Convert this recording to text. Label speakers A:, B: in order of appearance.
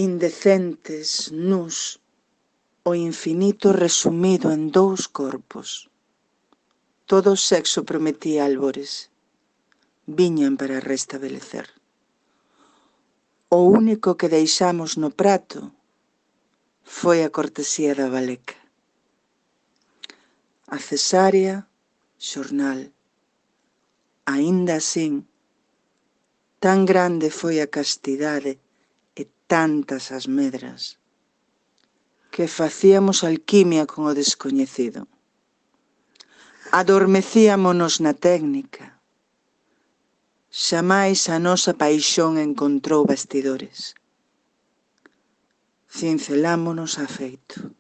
A: indecentes, nus, o infinito resumido en 2 corpos. Todo o sexo prometía albores. Viñan para restabelecer. O único que deixamos no prato foi a cortesía da baleca. A cesárea, xornal. Aínda asín, tan grande foi a castidade e tantas as medras, que facíamos alquimia con o descoñecido. Adormecíamonos na técnica. Xamais a nosa paixón encontrou bastidores. Cincelámonos afeito.